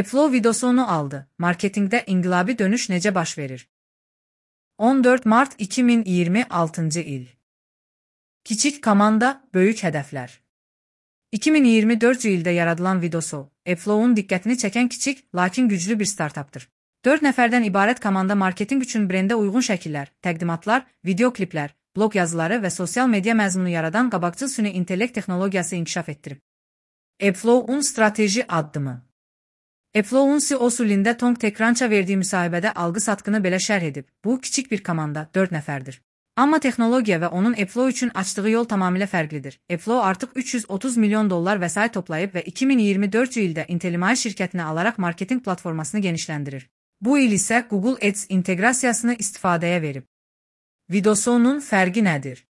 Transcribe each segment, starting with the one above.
Flow videosunu aldı. Marketingdə inqilabi dönüş necə baş verir? 14 Mart 2026 il. Kiçik komanda, böyük hədəflər. 2024 ildə yaradılan videosu, Flow'un diqqətini çəkən kiçik, lakin güclü bir startapdır. 4 nəfərdən ibarət komanda marketinq üçün brendə uyğun şəkillər, təqdimatlar, video kliplər, blog yazıları və sosial media məzmunu yaradan qabaqcıl süni intellekt texnologiyası inkişaf etdirib. Flow'un strateji addımı. Flow'un CEO-su Linda Tong TechCrunch'a verdiyi müsahibədə algı-satqını belə şərh edib. Bu, kiçik bir komanda, 4 nəfərdir. Amma texnologiya və onun Flow üçün açdığı yol tamamilə fərqlidir. Flow artıq $330 milyon vəsait toplayıb və 2024 ildə Intellimai şirkətini alaraq marketinq platformasını genişləndirir. Bu il isə Google Ads inteqrasiyasını istifadəyə verib. Videosunun fərqi nədir?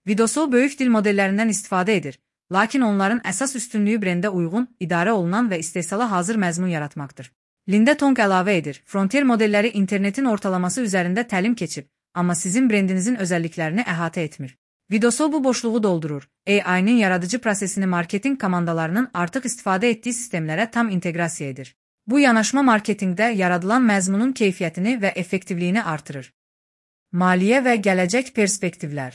Videosu böyük dil modellərindən istifadə edir, lakin onların əsas üstünlüyü brendə uyğun, idarə olunan və istehsala hazır məzmun yaratmaqdır. Linda Tong əlavə edir, Frontier modelləri internetin ortalaması üzərində təlim keçib, amma sizin brendinizin özəlliklərini əhatə etmir. Videosu bu boşluğu doldurur. AI-nin yaradıcı prosesini marketinq komandalarının artıq istifadə etdiyi sistemlərə tam inteqrasiya edir. Bu yanaşma marketinqdə yaradılan məzmunun keyfiyyətini və effektivliyini artırır. Maliyyə və gələcək perspektivlər.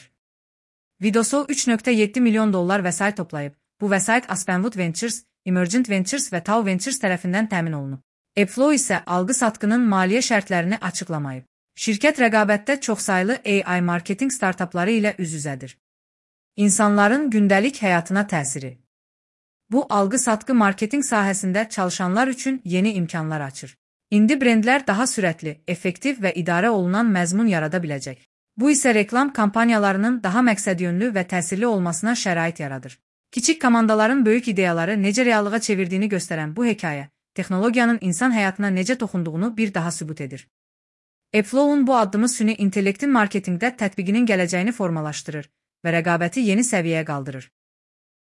Videosu $3.7 milyon vəsait toplayıb. Bu vəsait Aspenwood Ventures, Emergent Ventures və Tau Ventures tərəfindən təmin olunub. Flow isə algı-satqının maliyyə şərtlərini açıqlamayıb. Şirkət rəqabətdə çoxsaylı AI marketinq startapları ilə üz-üzədir. İnsanların gündəlik həyatına təsiri. Bu, algı-satqı marketinq sahəsində çalışanlar üçün yeni imkanlar açır. İndi brendlər daha sürətli, effektiv və idarə olunan məzmun yarada biləcək. Bu isə reklam kampaniyalarının daha məqsədyönlü və təsirli olmasına şərait yaradır. Kiçik komandaların böyük ideyaları necə reallığa çevirdiyini göstərən bu hekayə, texnologiyanın insan həyatına necə toxunduğunu bir daha sübut edir. Flow'un bu addımı süni intellektin marketingdə tətbiqinin gələcəyini formalaşdırır və rəqabəti yeni səviyyəyə qaldırır.